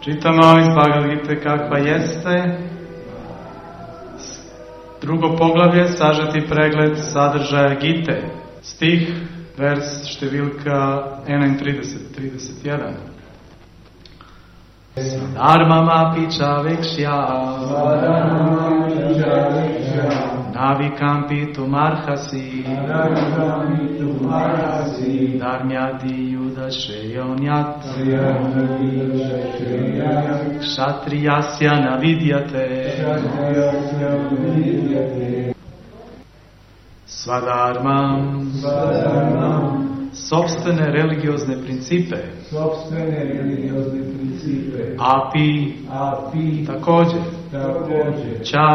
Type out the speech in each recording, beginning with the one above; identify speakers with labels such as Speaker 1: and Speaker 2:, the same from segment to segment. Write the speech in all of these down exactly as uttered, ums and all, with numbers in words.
Speaker 1: Čitamo iz Bhagavad Gite kakva jeste. Drugo poglavlje, sažeti pregled sadržaja Gite. Stih, vers, številka enaintrideset, trideset jedan. Dharmama piča vekšja navikam tu marhasi dharmyadi yudasheyonyat kshatriyasya navidyate svadharmam sopstvene religiozne principe
Speaker 2: sopstvene religiozne principe
Speaker 1: api,
Speaker 2: api
Speaker 1: također
Speaker 2: također
Speaker 1: ča,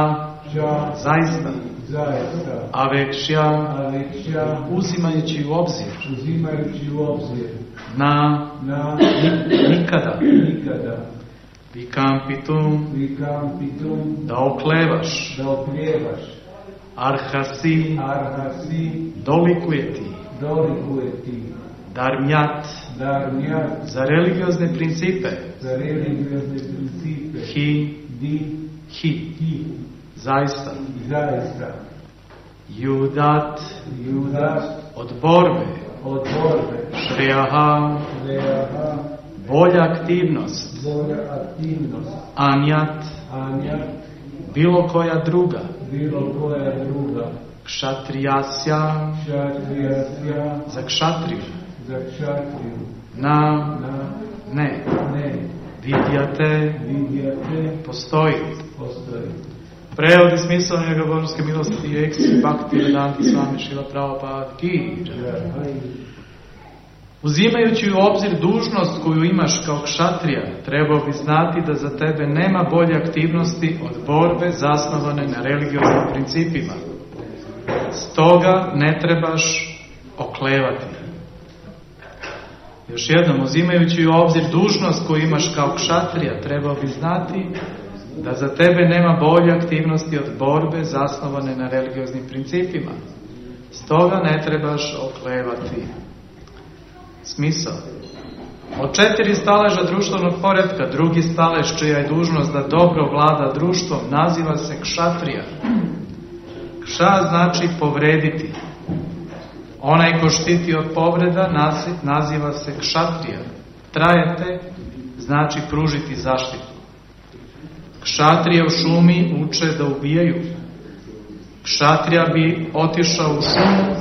Speaker 2: ča
Speaker 1: zaista
Speaker 2: zaista
Speaker 1: avekšja,
Speaker 2: avekšja
Speaker 1: uzimajući u obzir
Speaker 2: uzimajući u obzir
Speaker 1: na,
Speaker 2: na
Speaker 1: nikada
Speaker 2: nikada
Speaker 1: vikampitum
Speaker 2: vikampitum
Speaker 1: da oklevaš
Speaker 2: da oklevaš
Speaker 1: arhasi
Speaker 2: arhasi
Speaker 1: dolikuje ti
Speaker 2: dolikuje ti
Speaker 1: dharmyat
Speaker 2: dharmyat
Speaker 1: za religiozne principe
Speaker 2: za religiozne principe
Speaker 1: hi,
Speaker 2: di
Speaker 1: hi
Speaker 2: hi
Speaker 1: zaista
Speaker 2: zaista
Speaker 1: judat
Speaker 2: judat
Speaker 1: od borbe
Speaker 2: od borbe
Speaker 1: šrejaha
Speaker 2: šrejaha
Speaker 1: bolja aktivnost
Speaker 2: bolja aktivnost
Speaker 1: anjat
Speaker 2: anjat
Speaker 1: bilo koja druga
Speaker 2: bilo koja druga
Speaker 1: kshatriyasya
Speaker 2: kshatriyasya
Speaker 1: za kšatriju
Speaker 2: za kšatriju
Speaker 1: na
Speaker 2: na
Speaker 1: ne
Speaker 2: ne
Speaker 1: vidjate
Speaker 2: vidjate
Speaker 1: postoji
Speaker 2: postoji.
Speaker 1: Prevod i smisao njega božanske milosti i eksi bhakti vedanti svami Šrila Prabhupada ki. Uzimajući u obzir dužnost koju imaš kao kšatrija, trebao bi znati da za tebe nema bolje aktivnosti od borbe zasnovane na religioznim principima. Stoga ne trebaš oklevati. Još jednom, uzimajući u obzir dužnost koju imaš kao kšatrija, trebao bi znati da za tebe nema bolje aktivnosti od borbe zasnovane na religioznim principima. Stoga ne trebaš oklevati. Smisao. Od četiri staleža društvenog poretka, drugi stalež čija je dužnost da dobro vlada društvom, naziva se kšatrija. Kša znači povrediti. Onaj ko štiti od povreda naziva se kšatrija. Trajete znači pružiti zaštitu. Kšatrije u šumi uče da ubijaju. Kšatrija bi otišao u šumu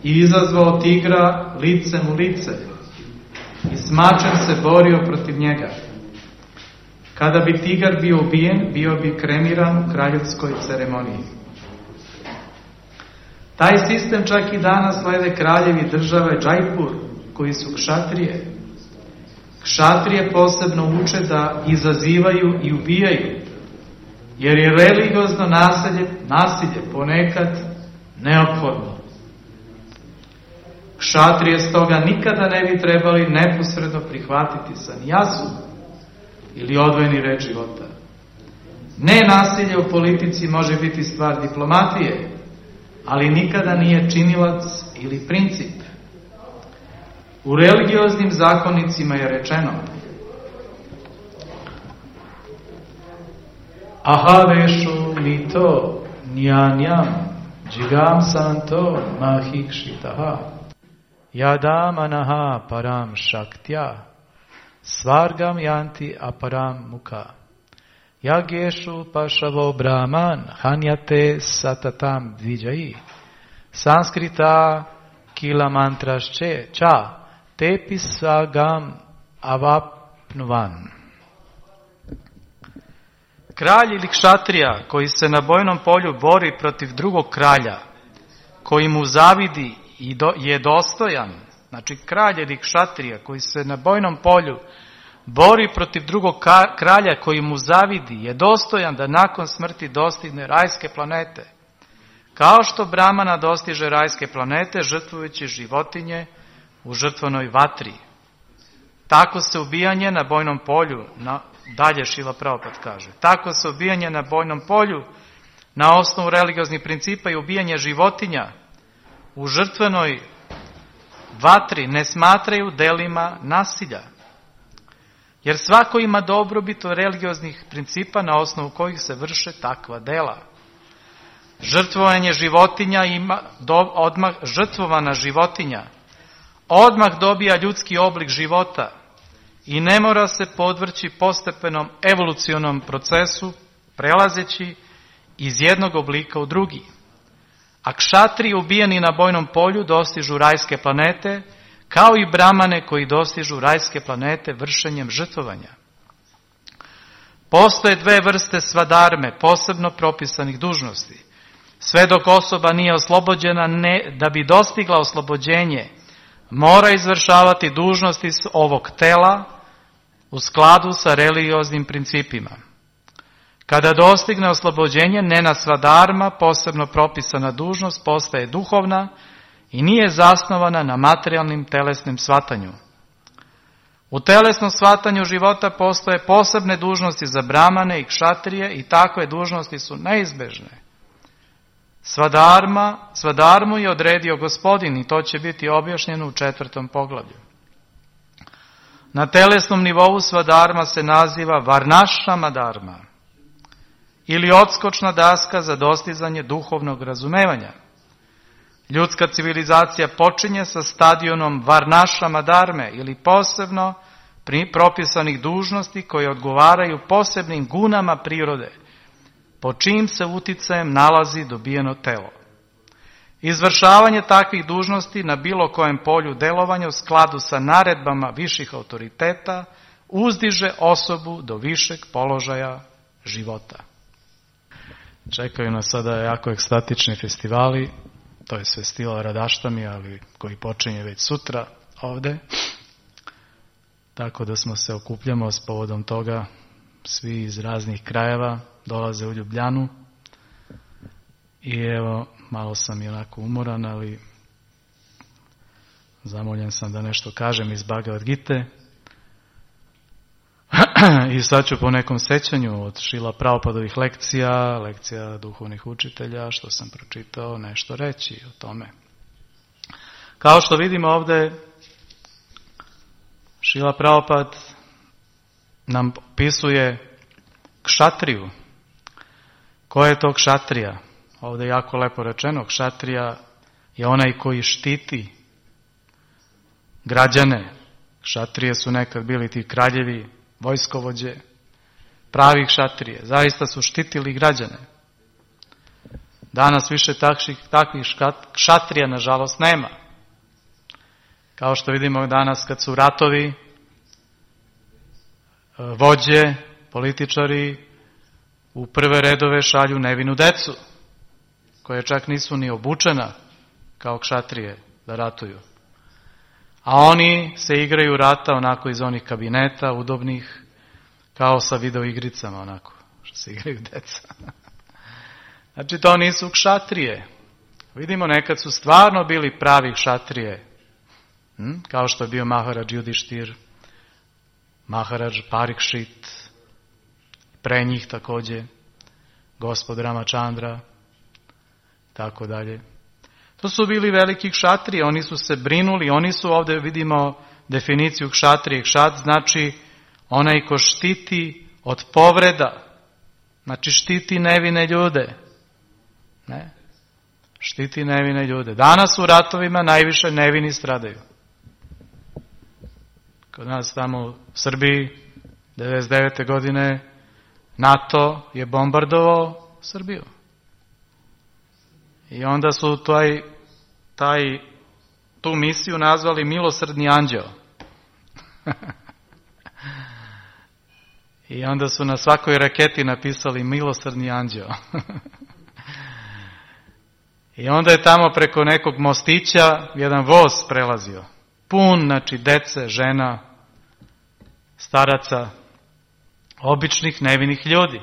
Speaker 1: i izazvao tigra licem u lice i s mačem se borio protiv njega. Kada bi tigar bio ubijen, bio bi kremiran u kraljevskoj ceremoniji. Taj sistem čak i danas slede kraljevi države Džajpur, koji su kšatrije. Kšatrije posebno uče da izazivaju i ubijaju, jer je religiozno nasilje, nasilje ponekad neophodno. Kšatrije stoga nikada ne bi trebali neposredno prihvatiti sanjasu ili odvojeni red života. Ne nasilje u politici može biti stvar diplomatije, ali nikada nije činilac ili princip. U religioznim zakonicima je rečeno: Ahavešu mito njanjam džigam santo mahikšitaha yadam anaha param shaktya svargam yanti aparam mukha yageshu pašavo brahman hanyate satatam dvijayi sanskrita kila mantrašče ča tepisagam avapnuvan. Kralj ili kšatrija koji se na bojnom polju bori protiv drugog kralja, koji mu zavidi i do, je dostojan, znači kralj ili kšatrija koji se na bojnom polju bori protiv drugog kralja koji mu zavidi, je dostojan da nakon smrti dostigne rajske planete, kao što Brahmana dostiže rajske planete žrtvujući životinje u žrtvenoj vatri. Tako se ubijanje na bojnom polju, na, dalje Šrila Prabhupada kaže, tako se ubijanje na bojnom polju na osnovu religioznih principa i ubijanje životinja u žrtvenoj vatri ne smatraju delima nasilja. Jer svako ima dobrobit od religioznih principa na osnovu kojih se vrše takva dela. Žrtvovanje životinja ima, do, odmah, žrtvovana životinja odmah dobija ljudski oblik života i ne mora se podvrći postepenom evolucionom procesu, prelazeći iz jednog oblika u drugi. A kšatriji ubijeni na bojnom polju dostižu rajske planete, kao i bramane koji dostižu rajske planete vršenjem žrtvovanja. Postoje dve vrste svadarme, posebno propisanih dužnosti. Sve dok osoba nije oslobođena, ne, da bi dostigla oslobođenje, mora izvršavati dužnosti ovog tela u skladu sa religioznim principima. Kada dostigne oslobođenje, njena svadarma, posebno propisana dužnost, postaje duhovna i nije zasnovana na materijalnim telesnim shvatanju. U telesnom shvatanju života postoje posebne dužnosti za bramane i kšatrije i takve dužnosti su neizbežne. Svadarma, svadarmu je odredio Gospodin i to će biti objašnjeno u četvrtom poglavlju. Na telesnom nivou svadarma se naziva varnašama dharma ili odskočna daska za dostizanje duhovnog razumevanja. Ljudska civilizacija počinje sa stadionom varnašama dharme ili posebno propisanih dužnosti koje odgovaraju posebnim gunama prirode, po čijim se uticajem nalazi dobijeno telo. Izvršavanje takvih dužnosti na bilo kojem polju delovanja u skladu sa naredbama viših autoriteta uzdiže osobu do višeg položaja života. Čekaju nas sada jako ekstatični festivali, to je festival Radaštami, ali koji počinje već sutra ovde. Tako da smo se okupljamo s povodom toga, svi iz raznih krajeva dolaze u Ljubljanu. I evo, malo sam i onako umoran, ali zamoljen sam da nešto kažem iz Bhagavad Gite. I sad ću po nekom sećanju od Šrila Prabhupadovih lekcija, lekcija duhovnih učitelja, što sam pročitao, nešto reći o tome. Kao što vidimo ovde, Šrila Prabhupad nam opisuje kšatriju. Ko je to kšatrija? Ovdje je jako lepo rečeno, kšatrija je onaj koji štiti građane. Kšatrije su nekad bili ti kraljevi, vojskovođe, pravi kšatrije. Zaista su štitili građane. Danas više takvih, takvih kšatrija, nažalost, nema. Kao što vidimo danas kad su ratovi, vođe, političari u prve redove šalju nevinu decu, koje čak nisu ni obučena kao kšatrije da ratuju. A oni se igraju rata onako iz onih kabineta udobnih, kao sa videoigricama onako, što se igraju deca. Znači to nisu kšatrije. Vidimo, nekad su stvarno bili pravi kšatrije, hm? Kao što je bio Maharadž Judištir, Maharadž Parikšit, pre njih također gospod Ramachandra, tako dalje. To su bili veliki kšatrije, oni su se brinuli, oni su, ovdje vidimo definiciju kšatrije. Kšat znači onaj ko štiti od povreda, znači štiti nevine ljude. Ne? Štiti nevine ljude. Danas u ratovima najviše nevini stradaju. Kod nas tamo u Srbiji, devedeset devete godine, NATO je bombardovao Srbiju. I onda su taj, taj, tu misiju nazvali milosrdni anđeo. I onda su na svakoj raketi napisali milosrdni anđeo. I onda je tamo preko nekog mostića jedan voz prelazio. Pun, znači dece, žena, staraca, običnih nevinih ljudi.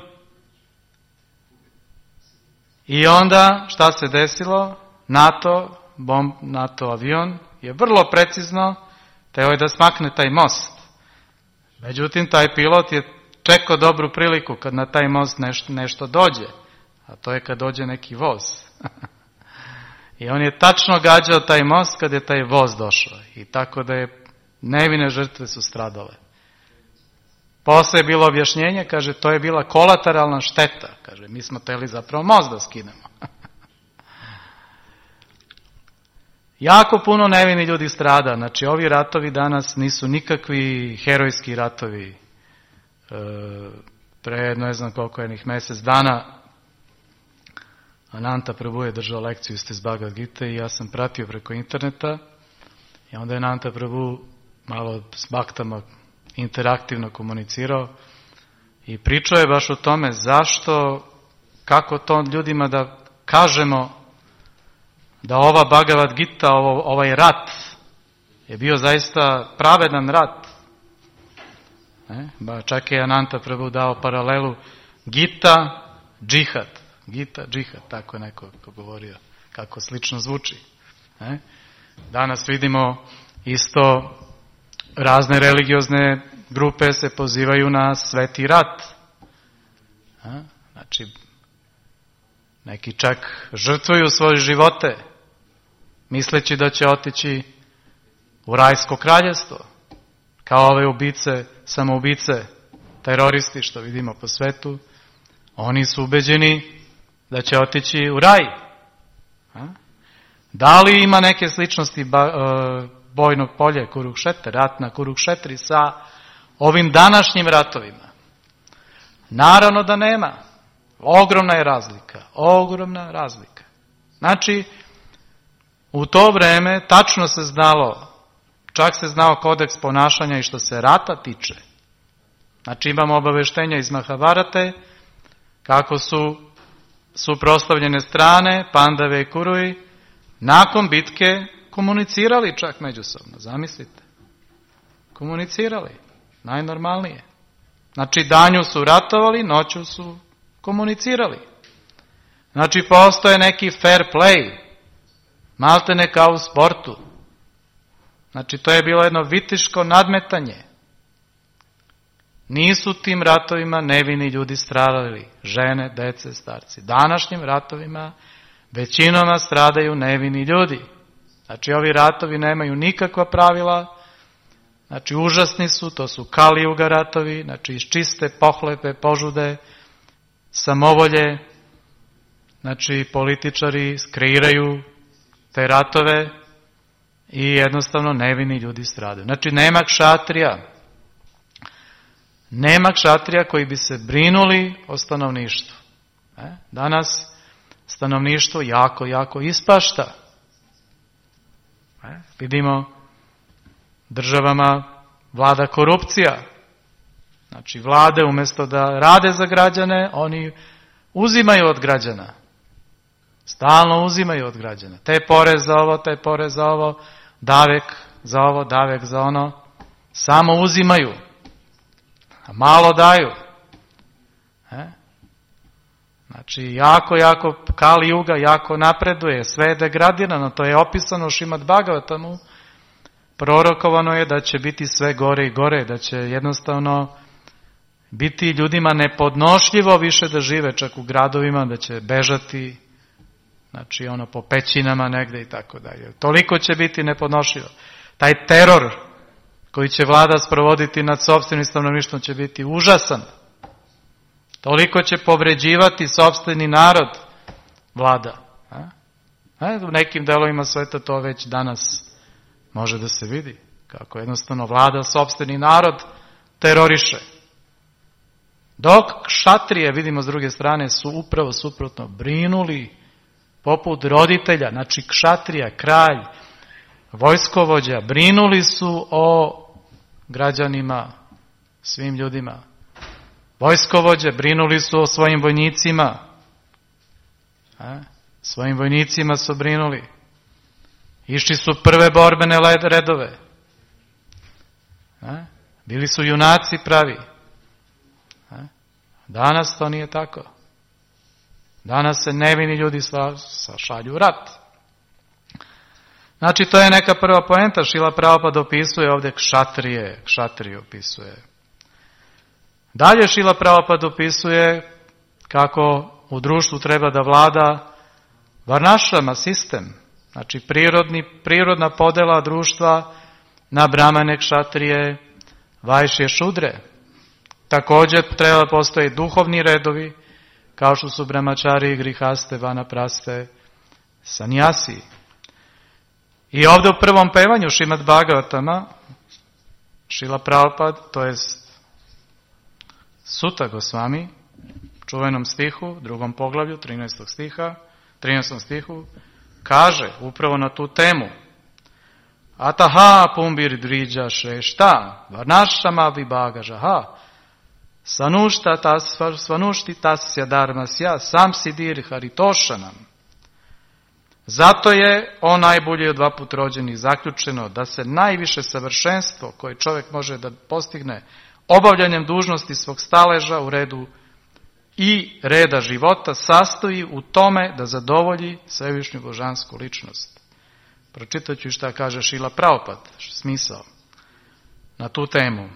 Speaker 1: I onda šta se desilo? NATO, bomb, NATO avion je vrlo precizno teo je da smakne taj most. Međutim, taj pilot je čekao dobru priliku kad na taj most nešto, nešto dođe. A to je kad dođe neki voz. I on je tačno gađao taj most kad je taj voz došao. I tako da je nevine žrtve su stradale. Posle je bilo objašnjenje, kaže, to je bila kolateralna šteta. Kaže, mi smo teli zapravo most da skinemo. Jako puno nevini ljudi strada. Znači, ovi ratovi danas nisu nikakvi herojski ratovi. E, pre ne znam koliko jednih mjesec dana Ananta Prabhu je držao lekciju iz Bhagavad Gite i ja sam pratio preko interneta i onda je Ananta Prabhu malo s baktama interaktivno komunicirao i pričao je baš o tome zašto, kako to ljudima da kažemo da ova Bhagavad Gita, ovo, ovaj rat je bio zaista pravedan rat. Ne? Ba, čak je Ananta Prabhu dao paralelu Gita, džihad. Gita, džihad, tako je neko govorio, kako slično zvuči. Ne? Danas vidimo isto razne religiozne grupe se pozivaju na sveti rat. Ne? Znači, neki čak žrtvuju svoje živote, misleći da će otići u rajsko kraljevstvo, kao ove ubice, samoubice, teroristi što vidimo po svetu. Oni su ubeđeni da će otići u raj. Da li ima neke sličnosti bojnog polja Kurukšetra, rat na Kurukšetri sa ovim današnjim ratovima? Naravno da nema. Ogromna je razlika. Ogromna razlika. Znači, u to vreme tačno se znalo, čak se znao kodeks ponašanja i što se rata tiče. Znači, imamo obaveštenja iz Mahabharate, kako su suprotstavljene strane, Pandave i Kuruji, nakon bitke komunicirali čak međusobno, zamislite. Komunicirali, najnormalnije. Znači, danju su ratovali, noću su komunicirali. Znači, postoje neki fair play, maltene kao u sportu. Znači, to je bilo jedno vitiško nadmetanje. Nisu tim ratovima nevini ljudi stradali, žene, dece, starci. Današnjim ratovima većinoma stradaju nevini ljudi. Znači, ovi ratovi nemaju nikakva pravila, znači, užasni su, to su Kalijuga ratovi, znači, iz čiste pohlepe, požude, samovolje, znači, političari kreiraju te ratove i jednostavno nevini ljudi stradaju. Znači, nema kšatrija, nema kšatrija koji bi se brinuli o stanovništvu. E? Danas stanovništvo jako, jako ispašta. E? Vidimo, državama vlada korupcija. Znači, vlade umjesto da rade za građane, oni uzimaju od građana. Stalno uzimaju od građana. Te porez za ovo, te porez za ovo, davek za ovo, davek za ono. Samo uzimaju. A malo daju. E? Znači, jako, jako, Kali Juga jako napreduje, sve je degradirano, to je opisano u Šrimad Bhagavatamu. Prorokovano je da će biti sve gore i gore, da će jednostavno biti ljudima nepodnošljivo više da žive čak u gradovima, da će bežati, znači ono po pećinama negde i tako dalje. Toliko će biti nepodnošljivo. Taj teror koji će vlada sprovoditi nad sopstvenim stanovništvom će biti užasan. Toliko će povređivati sopstveni narod vlada. A? U nekim delovima sveta to već danas može da se vidi. Kako jednostavno vlada sopstveni narod teroriše. Dok kšatrije, vidimo s druge strane, su upravo suprotno brinuli poput roditelja, znači kšatrija, kralj, vojskovođa, brinuli su o građanima, svim ljudima. Vojskovođe brinuli su o svojim vojnicima. A? Svojim vojnicima su brinuli. Išli su prve borbene redove. A? Bili su junaci pravi. A? Danas to nije tako. Danas se nevini ljudi šalju u rat. Znači, to je neka prva poenta. Šrila Prabhupada opisuje ovdje kšatrije, kšatrije opisuje. Dalje Šrila Prabhupada opisuje kako u društvu treba da vlada varnašrama, sistem. Znači, prirodni, prirodna podela društva na brahmane, kšatrije, vajšje, šudre. Također treba da postoje duhovni redovi, kao što su brahmačari, grihaste, vanapraste, sanjasi. I ovdje u prvom pevanju Šrimad Bhagavatama, Šrila Prabhupada, to jest Suta Gosvami, čuvenom stihu, drugom poglavlju, trinaestog stiha, trinaestom stihu, kaže upravo na tu temu: Ataha pumbir dviđa šrešta, varnašama vibhaga žaha, sanušta tas, svanušti tasya dharmasya, sam sidir haritošanam. Zato je o najbolji od dva put rođenih zaključeno da se najviše savršenstvo koje čovjek može da postigne obavljanjem dužnosti svog staleža u redu i reda života sastoji u tome da zadovolji svevišnju božansku ličnost. Pročitat ću šta kaže Šrila Prabhupada, smisao na tu temu.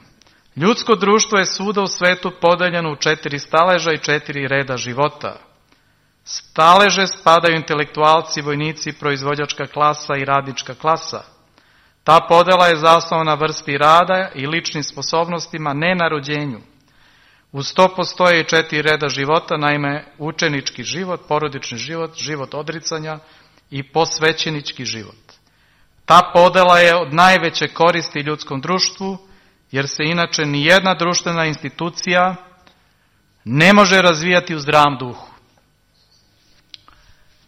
Speaker 1: Ljudsko društvo je svuda u svetu podeljeno u četiri staleža i četiri reda života. Staleže spadaju intelektualci, vojnici, proizvođačka klasa i radnička klasa. Ta podela je zasnovana na vrsti rada i ličnim sposobnostima, ne na rođenju. Uz to postoje i četiri reda života, naime učenički život, porodični život, život odricanja i posvećenički život. Ta podela je od najveće koristi ljudskom društvu, jer se inače nijedna društvena institucija ne može razvijati u zdravom duhu.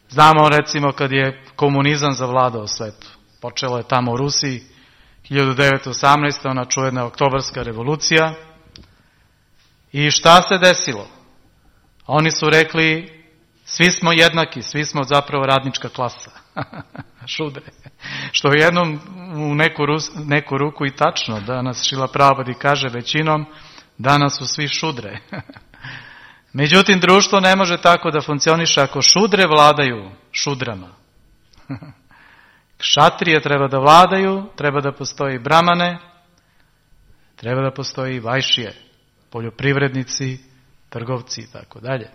Speaker 1: Znamo recimo kad je komunizam zavladao svetu. Počelo je tamo u Rusiji, hiljadu devetsto osamnaeste. ona čuvena oktobarska revolucija. I šta se desilo? Oni su rekli, svi smo jednaki, svi smo zapravo radnička klasa. Šudre. Što je jednom u neku, rus, neku ruku i tačno. Danas Šrila Prabhupada kaže većinom, danas su svi šudre. Međutim, društvo ne može tako da funkcioniše ako šudre vladaju šudrama. Kšatrije treba da vladaju, treba da postoji bramane, treba da postoji vajšije, poljoprivrednici, trgovci i tako dalje.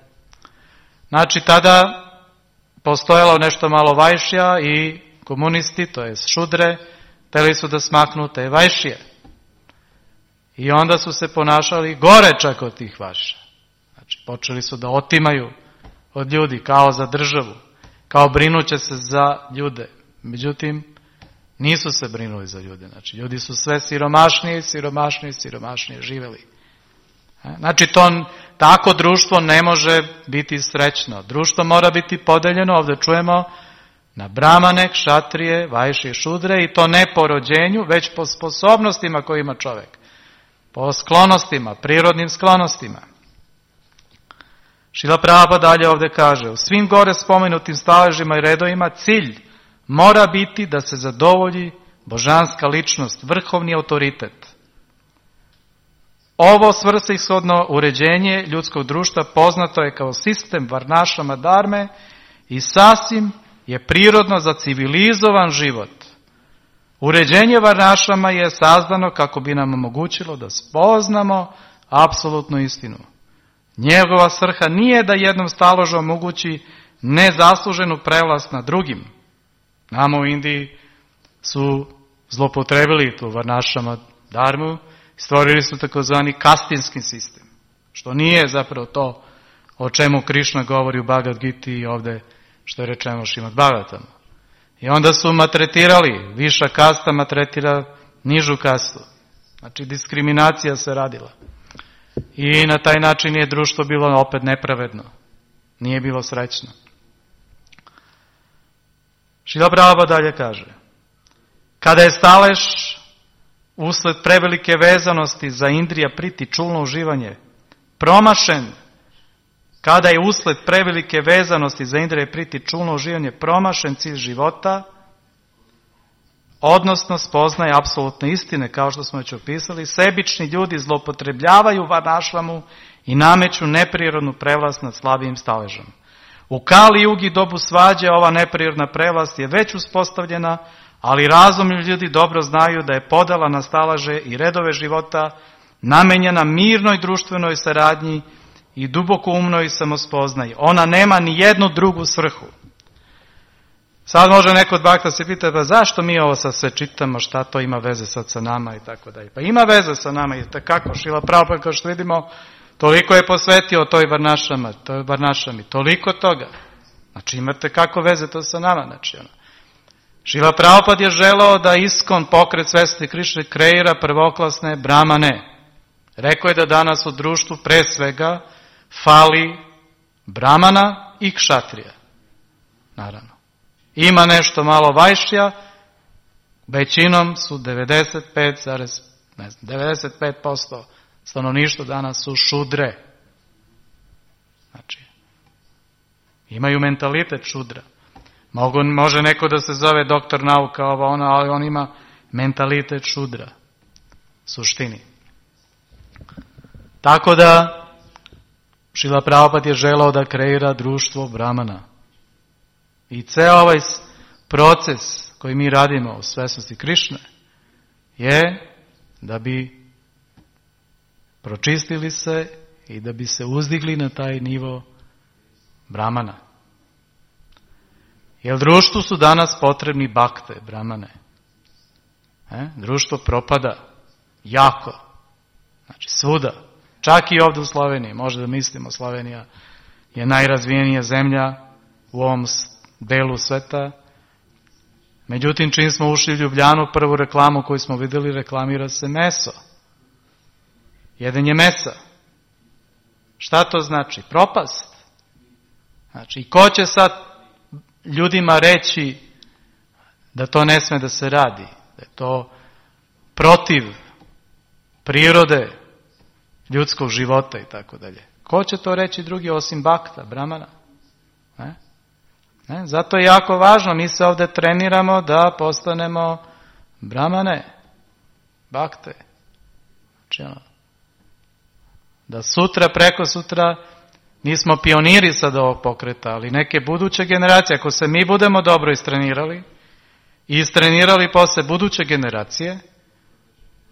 Speaker 1: Znači, tada postojalo nešto malo vajšija i komunisti, to je šudre, hteli su da smaknu te vajšije. I onda su se ponašali gore čak od tih vajša. Znači, počeli su da otimaju od ljudi kao za državu, kao brinuće se za ljude. Međutim, nisu se brinuli za ljude. Znači, ljudi su sve siromašnije, siromašnije, siromašnije živjeli. Znači, to, tako društvo ne može biti srećno. Društvo mora biti podeljeno, ovdje čujemo, na bramane, kšatrije, vajšije, šudre, i to ne po rođenju, već po sposobnostima koje ima čovjek. Po sklonostima, prirodnim sklonostima. Šrila Prabhupada dalje ovdje kaže, u svim gore spomenutim staležima i redovima cilj mora biti da se zadovolji božanska ličnost, vrhovni autoritet. Ovo svrsishodno uređenje ljudskog društva poznato je kao sistem varnašama dharme i sasvim je prirodno za civilizovan život. Uređenje varnašama je sazdano kako bi nam omogućilo da spoznamo apsolutnu istinu. Njegova svrha nije da jednom staložu omogući nezasluženu prevlast nad drugim. Nama u Indiji su zlopotrebili tu varnašama dharmu, stvorili su takozvani kastinski sistem, što nije zapravo to o čemu Krišna govori u Bhagavad Giti i ovdje što je rečeno Šrimad Bhagavatam. I onda su matretirali, viša kasta matretira nižu kastu. Znači diskriminacija se radila. I na taj način je društvo bilo opet nepravedno. Nije bilo srećno. Šrila Prabhupada dalje kaže, kada je stalež usled prevelike vezanosti za indrija priti čulno uživanje promašen, kada je usled prevelike vezanosti za indrija priti čulno uživanje promašen cilj života, odnosno spoznaje apsolutne istine, kao što smo već opisali, sebični ljudi zloupotrebljavaju varnašvamu i nameću neprirodnu prevlast nad slabijim staležom. U Kali Jugi dobu svađe ova neprirodna prevlast je već uspostavljena, ali razumni ljudi dobro znaju da je podela na staleže i redove života namenjena mirnoj društvenoj saradnji i duboko umnoj samospoznaji. Ona nema ni jednu drugu svrhu. Sad može neko od bakta se pita, pa zašto mi ovo sad sve čitamo, šta to ima veze sad sa nama i tako dalje. Pa ima veze sa nama i tako, Šrila Prabhupada, kao što vidimo, toliko je posvetio toj Varnašama, toj Varnašami, toliko toga. Znači imate kako veze to sa nama, znači ono. Šrila Prabhupada je želeo da Iskon, pokret svesti Krišne, kreira prvoklasne brahmane. Rekao je da danas u društvu pre svega fali brahmana i kšatrija. Naravno. Ima nešto malo vajšija, većinom su devedeset pet zarez posto stanovništva danas su šudre. Znači, imaju mentalitet šudra. Mogu, može neko da se zove doktor nauka, ovo ono, ali on ima mentalitet šudra. Suštini. Tako da, Šrila Prabhupada je želeo da kreira društvo brahmana. I ceo ovaj proces koji mi radimo u svesnosti Krišne je da bi pročistili se i da bi se uzdigli na taj nivo brahmana. Jer društvu su danas potrebni bakte, brahmane. E? Društvo propada jako. Znači svuda. Čak i ovdje u Sloveniji. Možda da mislimo, Slovenija je najrazvijenija zemlja u ovom delu sveta. Međutim, čim smo ušli u Ljubljanu, prvu reklamu koju smo vidjeli, reklamira se meso. Jedenje mesa. Šta to znači? Propast. Znači, i ko će sad ljudima reći da to ne sme da se radi, da je to protiv prirode ljudskog života i tako dalje. Ko će to reći drugi osim bakta, brahmana? Ne? Ne? Zato je jako važno, mi se ovdje treniramo da postanemo brahmane, bakte. Znači, ono, da sutra, preko sutra, nismo pioniri sad ovog pokreta, ali neke buduće generacije, ako se mi budemo dobro istrenirali i istrenirali posle buduće generacije,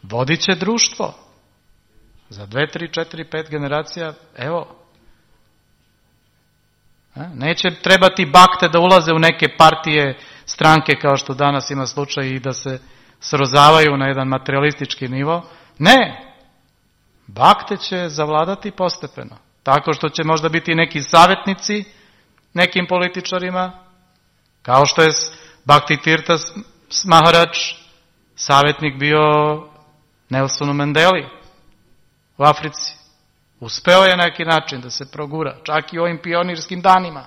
Speaker 1: vodit će društvo. Za dve, tri, četiri, pet generacija, evo. Neće trebati bakte da ulaze u neke partije, stranke kao što danas ima slučaj i da se srozavaju na jedan materialistički nivo. Ne! Bakte će zavladati postepeno. Tako što će možda biti neki savjetnici nekim političarima, kao što je Bhakti Tirtha Maharaj savjetnik bio Nelsonu Mandeli u Africi. Uspeo je na neki način da se progura, čak i u ovim pionirskim danima.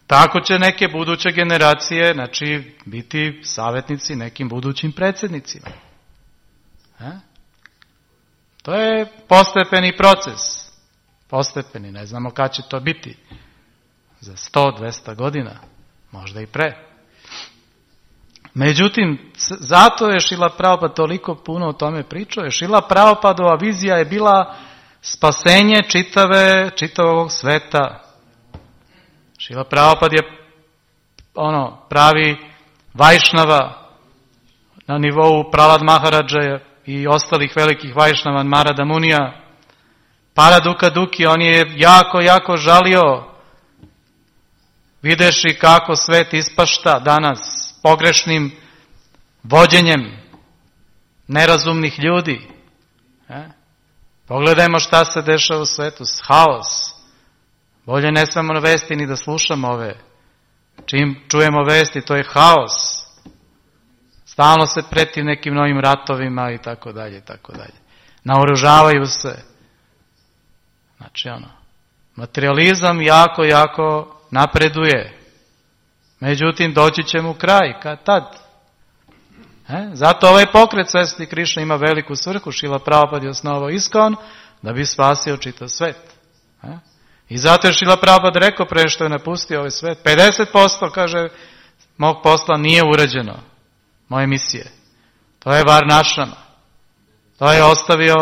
Speaker 1: Tako će neke buduće generacije, znači, biti savjetnici nekim budućim predsjednicima. E? To je postepeni proces. Postepeni, ne znamo kad će to biti. Za sto, dvesta godina, možda i pre. Međutim, zato je Šrila Prabhupada toliko puno o tome pričao. Šrila Prabhupadova vizija je bila spasenje čitave, čitavog sveta. Šrila Prabhupada je ono, pravi Vajšnava na nivou Prahlad Maharadža i ostalih velikih Vajšnava, Narada Munija. Paraduka Duki, on je jako, jako žalio videši kako svet ispašta danas pogrešnim vođenjem nerazumnih ljudi. E? Pogledajmo šta se dešava u svetu, haos. Bolje ne smemo vesti ni da slušamo ove. Čim čujemo vesti, to je haos. Stalno se preti nekim novim ratovima i tako dalje, i tako dalje. Naoružavaju se. Znači ono, materializam jako, jako napreduje. Međutim, doći će mu kraj, kad tad. E? Zato ovaj pokret svesti Krišne ima veliku svrhu. Šrila Prabhupada je osnovao Iskon da bi spasio čitav svet. E? I zato je Šrila Prabhupada rekao pre što je napustio ovaj svet, pedeset posto, kaže, mog posla nije urađeno, moje misije. To je Varnašama. To je ostavio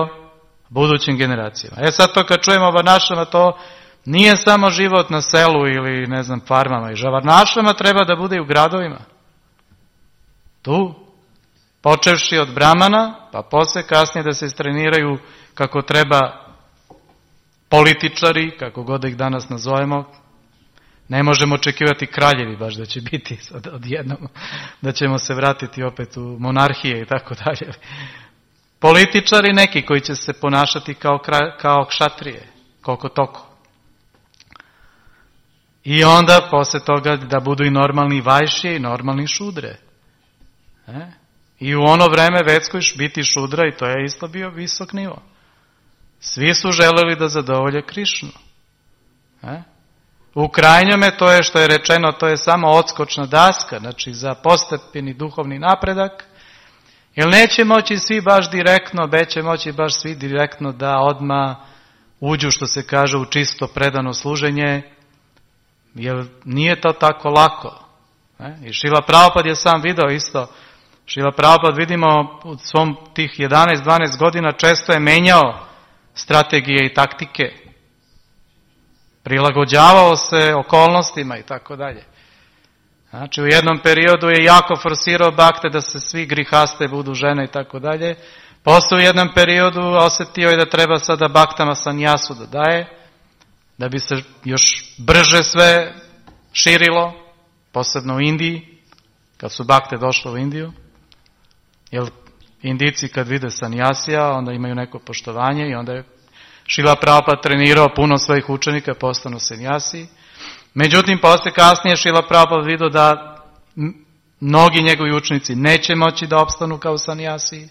Speaker 1: budućim generacijama. E sad to kad čujemo Varnašama, to nije samo život na selu ili ne znam farmama. I Varnašama treba da bude i u gradovima. Tu. Počevši od Brahmana, pa posle kasnije da se istreniraju kako treba političari, kako god da ih danas nazovemo, Ne možemo očekivati kraljevi baš da će biti sad odjednom, da ćemo se vratiti opet u monarhije i tako dalje. Političari neki koji će se ponašati kao, kao kšatrije, koliko toko. I onda posle toga da budu i normalni vajšije i normalni šudre. E? I u ono vreme vedskoj biti šudra i to je isto bio visok nivo. Svi su želeli da zadovolje Krišnu. E? U krajnjome to je što je rečeno, to je samo odskočna daska, znači za postepeni duhovni napredak, jer neće moći svi baš direktno, neće moći baš svi direktno da odmah uđu, što se kaže, u čisto predano služenje, jer nije to tako lako. E? I Šrila Prabhupada je sam video isto, Šrila Prabhupada vidimo u svom tih jedanaest dvanaest godina često je menjao strategije i taktike. Prilagođavao se okolnostima i tako dalje. Znači u jednom periodu je jako forsirao bakte da se svi grihaste budu žene i tako dalje. Posle u jednom periodu osjetio je da treba sada baktama sanjasu da daje, da bi se još brže sve širilo, posebno u Indiji, kad su bakte došle u Indiju. Jer Indijci kad vide sanjasija, onda imaju neko poštovanje i onda je Šrila Prabhupada trenirao puno svojih učenika, postanu sanjasi. Međutim, posle kasnije Šrila Prabhupada vidio da mnogi njegovi učenici neće moći da opstanu kao sanjasi,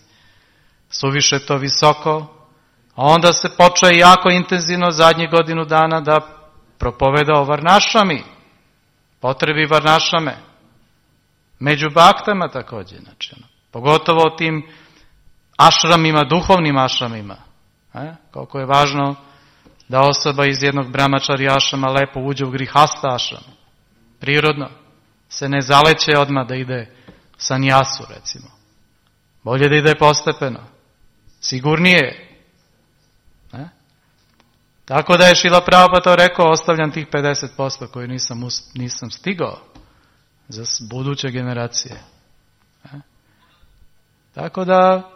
Speaker 1: suviše to visoko, a onda se počeo jako intenzivno zadnjih godinu dana da propoveda o varnašami, potrebi varnašame, među baktama također, znači, ono, pogotovo o tim ašramima, duhovnim ašramima. E? Koliko je važno da osoba iz jednog brahmačari ašrama lepo uđe u grihasta ašram. Prirodno. Se ne zaleće odmah da ide sanjasu, recimo. Bolje da ide postepeno. Sigurnije. E? Tako da je Šrila Prabhupada to rekao, ostavljam tih pedeset posto koji nisam, nisam stigao za buduće generacije. E? Tako da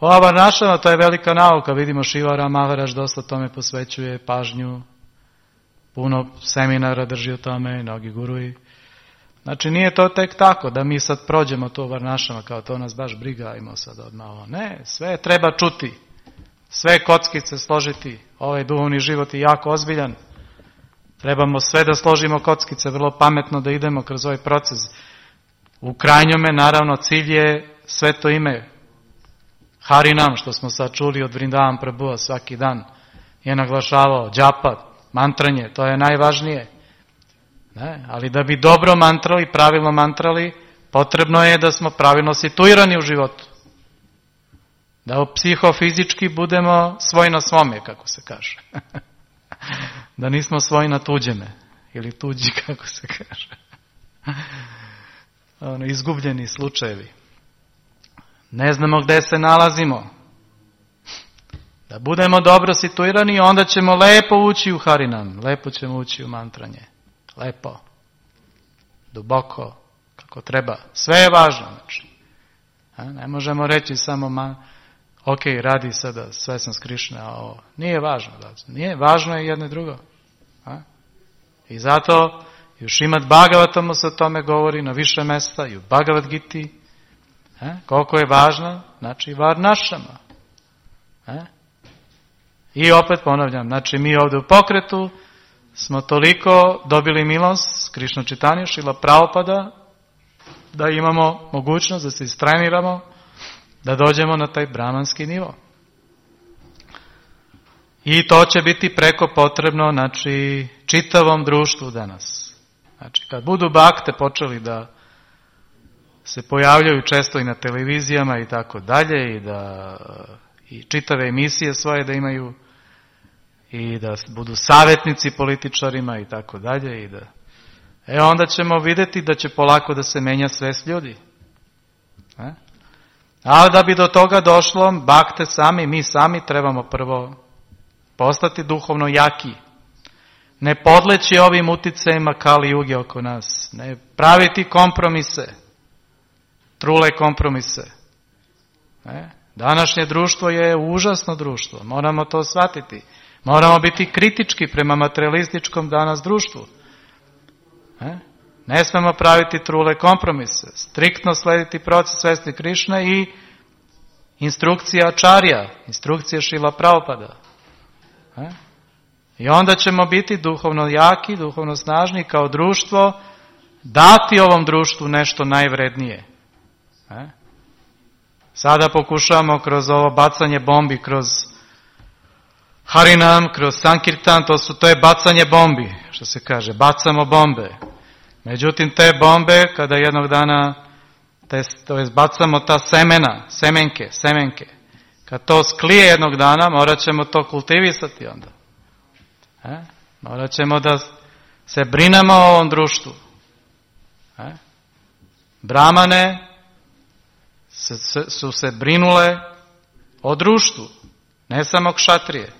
Speaker 1: ova varnašama, to je velika nauka, vidimo Šivara Maharaj dosta tome posvećuje pažnju, puno seminara drži o tome, mnogi guruji. Znači nije to tek tako da mi sad prođemo to varnašama kao to nas baš briga, imamo sad odmah ovo. Ne, sve treba čuti, sve kockice složiti, ovaj duhovni život je jako ozbiljan. Trebamo sve da složimo kockice, vrlo pametno da idemo kroz ovaj proces. U krajnjome, naravno, cilj je sveto ime Harinam, što smo sad čuli od Vrindavan Prabhuva svaki dan, je naglašavao džapa, mantranje, to je najvažnije. Ne? Ali da bi dobro mantrali, pravilno mantrali, potrebno je da smo pravilno situirani u životu. Da psihofizički budemo svoj na svome, kako se kaže. Da nismo svoj na tuđeme, ili tuđi, kako se kaže. Ono, izgubljeni slučajevi. Ne znamo gde se nalazimo. Da budemo dobro situirani, onda ćemo lepo ući u Harinam, lepo ćemo ući u mantranje. Lepo, duboko, kako treba. Sve je važno. Znači. A, ne možemo reći samo, ma, ok, radi sada, sve sam s Krišne, a ovo. Nije važno. Nije, važno je jedno i drugo. A? I zato i u Šrimad Bhagavatamu se o tome govori na više mesta, i u Bhagavad Giti. E? Koliko je važno, znači varnašama. E? I opet ponavljam, znači mi ovdje u pokretu smo toliko dobili milost Krišna Čitanja, Šrila Prabhupada, da imamo mogućnost da se istreniramo, da dođemo na taj brahmanski nivo. I to će biti preko potrebno, znači, čitavom društvu danas. Znači, kad budu bakte počeli da se pojavljaju često i na televizijama i tako dalje, i da i čitave emisije svoje da imaju, i da budu savjetnici političarima i tako dalje, i da e onda ćemo vidjeti da će polako da se menja svest ljudi. E? Ali da bi do toga došlo, bakte sami, mi sami trebamo prvo postati duhovno jaki. Ne podleći ovim uticajima Kali Juge oko nas. Ne praviti kompromise. Trule kompromise. E? Današnje društvo je užasno društvo, moramo to shvatiti. Moramo biti kritički prema materialističkom danas društvu. E? Ne smemo praviti trule kompromise, striktno slediti proces svesti Krišne i instrukcija Ačarja, instrukcija Šrila Prabhupada. E? I onda ćemo biti duhovno jaki, duhovno snažni kao društvo, dati ovom društvu nešto najvrednije. E? Sada pokušavamo kroz ovo bacanje bombi, kroz Harinam, kroz Sankirtan, to, su, to je bacanje bombi, što se kaže, bacamo bombe. Međutim, te bombe, kada jednog dana, te, to je bacamo ta semena, semenke, semenke, kad to sklije jednog dana, morat ćemo to kultivisati onda. E? Morat ćemo da se brinemo o ovom društvu. E? Brahmane se, se, su se brinule o društvu, ne samo kšatrije.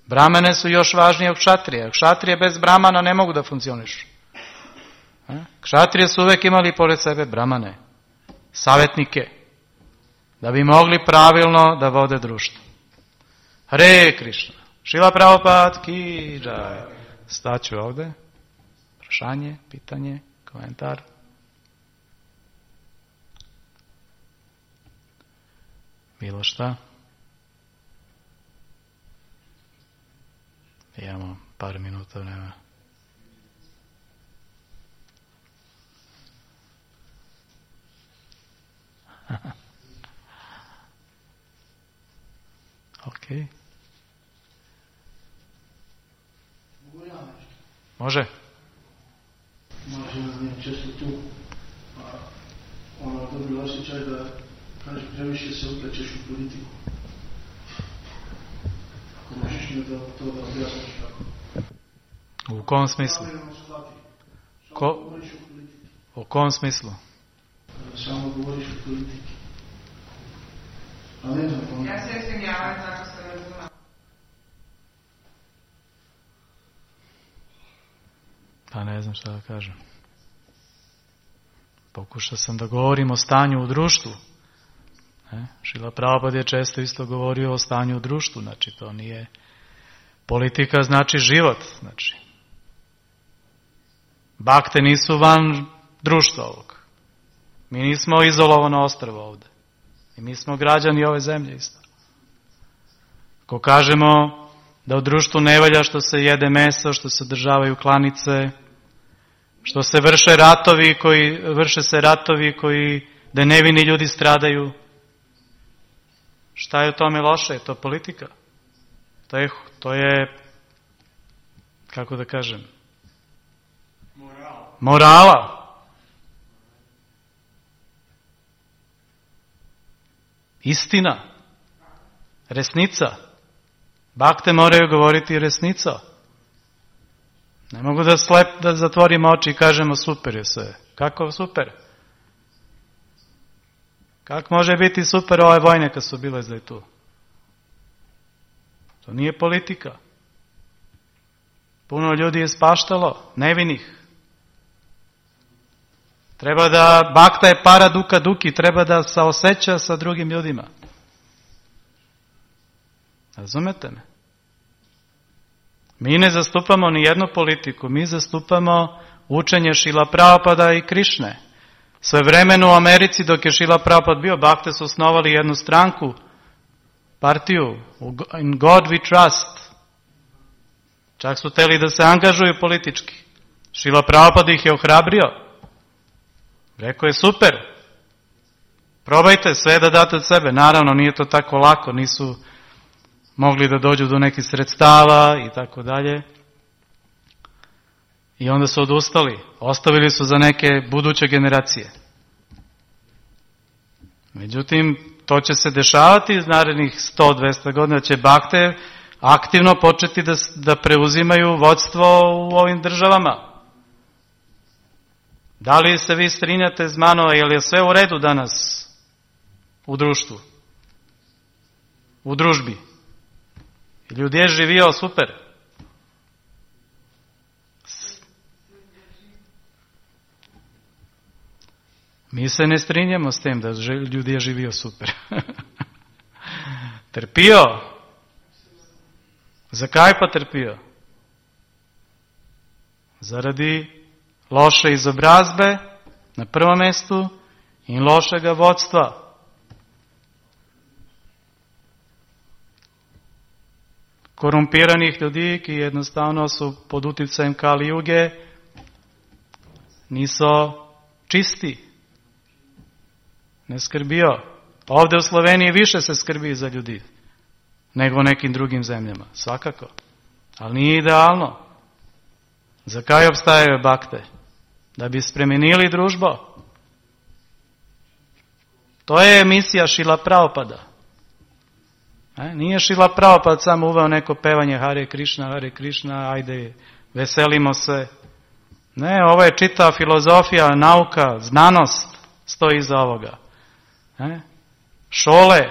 Speaker 1: Brahmane su još važnije od kšatrije. Kšatrije bez brahmana ne mogu da funkcionišu. E? Kšatrije su uvek imali pored sebe brahmane, savjetnike, da bi mogli pravilno da vode društvo. Hare Krišna. Šrila Prabhupada ki džaj. Staću ovde. Prašanje, pitanje, komentar. Bilo šta? Imamo par minuta vremena. Ok. Može?
Speaker 3: Može, ne, često tu a, ono dobri osjećaj da kažeš previše se uplaćeš u politiku. Ako možeš mi da to da objasniš kako.
Speaker 1: U kom smislu? Ko? U kom smislu?
Speaker 3: Samo govoriš o politiki. A ne znam ono.
Speaker 4: Ja se izvinjavam, tako se razumam.
Speaker 1: Pa ne znam šta da kažem. Pokušao sam da govorim o stanju u društvu. E? Šrila Prabhupada je često isto govorio o stanju u društvu. Znači to nije... Politika znači život. Znači. Bakte nisu van društva ovog. Mi nismo izolovano ostrvo ovde. I mi smo građani ove zemlje isto. Ako kažemo da u društvu ne valja što se jede meso, što se održavaju klanice, što se vrše ratovi koji, vrše se ratovi koji, da nevini ljudi stradaju. Šta je u tome loše? Je to politika. To je, to je kako da kažem, morala. Morala. Istina. Resnica. Bakte moraju govoriti resnica. Ne mogu da slep, da zatvorimo oči i kažemo super je sve. Kako super? Kako može biti super ove vojne kad su bile zdaj tu? To nije politika. Puno ljudi je spaštalo, nevinih. Treba da, bakta je para duka duki, treba da saoseća sa drugim ljudima. Razumete me? Mi ne zastupamo ni jednu politiku, mi zastupamo učenje Šrila Prabhupada i Krišne. Sve vremenu u Americi dok je Šrila Prabhupada bio, bakte su osnovali jednu stranku, partiju, in God we trust. Čak su hteli da se angažuju politički. Šrila Prabhupada ih je ohrabrio. Rekao je super. Probajte sve da date od sebe. Naravno nije to tako lako, nisu mogli da dođu do nekih sredstava i tako dalje. I onda su odustali. Ostavili su za neke buduće generacije. Međutim, to će se dešavati iz narednih sto do dvesta godina, će bakte aktivno početi da, da preuzimaju vodstvo u ovim državama. Da li se vi strinjate z mano, je li je sve u redu danas u društvu? U družbi? Ljudi je živio super. Mi se ne strinjamo s tem da ljudi je živio super. Trpio. Zakaj pa trpio? Zaradi loše izobrazbe na prvom mestu in lošega vodstva. Korumpiranih ljudi, ki jednostavno su pod uticajem Kali Juge, niso čisti. Ne skrbijo. Ovdje u Sloveniji više se skrbi za ljudi nego u nekim drugim zemljama. Svakako. Ali nije idealno. Zakaj obstajaju bakte? Da bi spremenili družbo. To je misija Šrila Prabhupada. E, nije Šrila Prabhupada samo uveo neko pevanje Hare Krishna, Hare Krishna, ajde, veselimo se. Ne, ovo je čitava filozofija, nauka, znanost stoji iza ovoga. E, šole.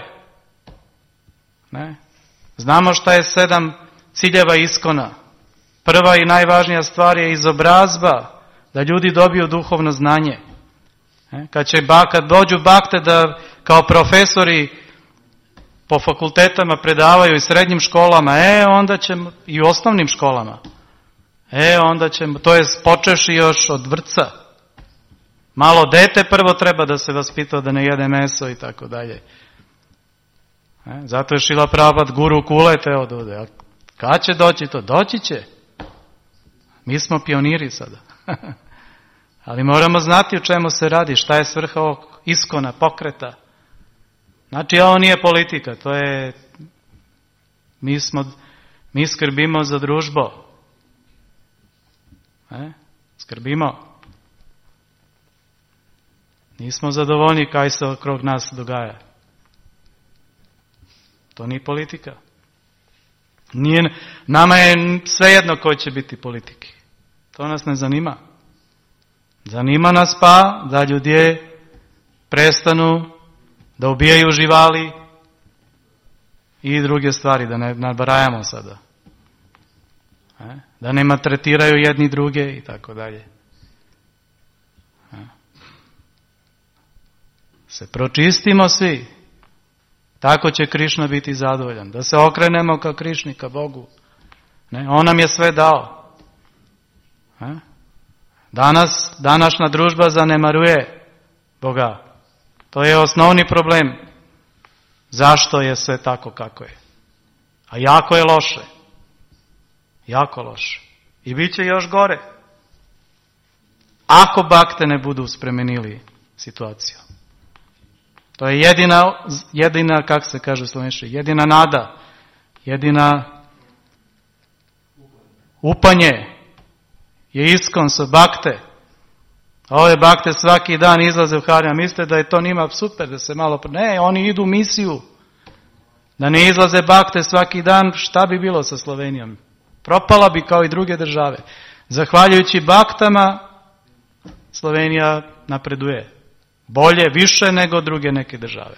Speaker 1: Ne? Znamo šta je sedam ciljeva iskona. Prva i najvažnija stvar je izobrazba, da ljudi dobiju duhovno znanje. E, kad će kad dođu bakte da kao profesori po fakultetama predavaju i srednjim školama, e, onda ćemo, i u osnovnim školama, e, onda ćemo, to je počeši još od vrtca. Malo dete prvo treba da se vaspita da ne jede meso i tako dalje. E, zato je Šrila Prabhupada guru kulete od ovde. A kad će doći to? Doći će. Mi smo pioniri sada. Ali moramo znati o čemu se radi, šta je svrha ovog iskona, pokreta. Znači, ovo nije politika, to je, mi smo, mi skrbimo za družbo. E? Skrbimo. Nismo zadovoljni kaj se okrog nas dogaja. To nije politika. Nije, nama je svejedno ko će biti politiki. To nas ne zanima. Zanima nas pa da ljudi prestanu da ubijaju živali i druge stvari, da ne nabrajamo sada. E? Da ne maltretiraju jedni druge i tako dalje. E? Se pročistimo svi. Tako će Krišna biti zadovoljan. Da se okrenemo ka Krišni, ka Bogu. Ne? On nam je sve dao. E? Danas, današnja družba zanemaruje Boga. To je osnovni problem. Zašto je sve tako kako je? A jako je loše. Jako loše. I bit će još gore. Ako bakte ne budu spremenili situaciju. To je jedina, jedina, kako se kaže u slovenski, jedina nada, jedina upanje je iskon sa bakte. Ove bakte svaki dan izlaze u Harija, mislite da je to njima super, da se malo... Ne, oni idu u misiju. Da ne izlaze bakte svaki dan, šta bi bilo sa Slovenijom? Propala bi kao i druge države. Zahvaljujući baktama, Slovenija napreduje. Bolje, više nego druge neke države.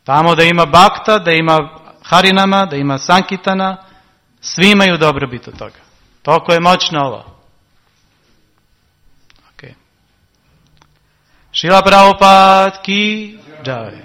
Speaker 1: Tamo da ima bakta, da ima harinama, da ima sankitana, svi imaju dobrobit od toga. Toliko je moćno ovo. Okay. Šrila Prabhupada ki jai.